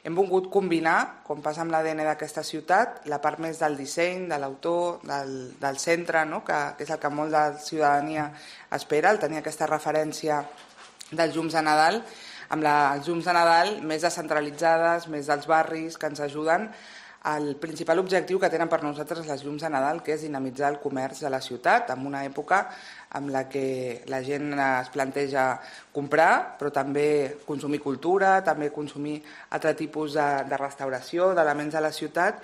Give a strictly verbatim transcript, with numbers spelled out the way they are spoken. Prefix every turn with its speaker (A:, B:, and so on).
A: Hem volgut combinar, com passa amb l'A D N d'aquesta ciutat, la part més del disseny, de l'autor, del, del centre, no? que, que és el que molt de la ciutadania espera, el tenir aquesta referència dels llums de Nadal, amb la, els llums de Nadal més descentralitzades, més dels barris, que ens ajuden. El principal objectiu que tenen per nosaltres les llums de Nadal, que és dinamitzar el comerç de la ciutat en una època en la que la gent es planteja comprar, però també consumir cultura, també consumir altre tipus de, de restauració, d'elements de la ciutat,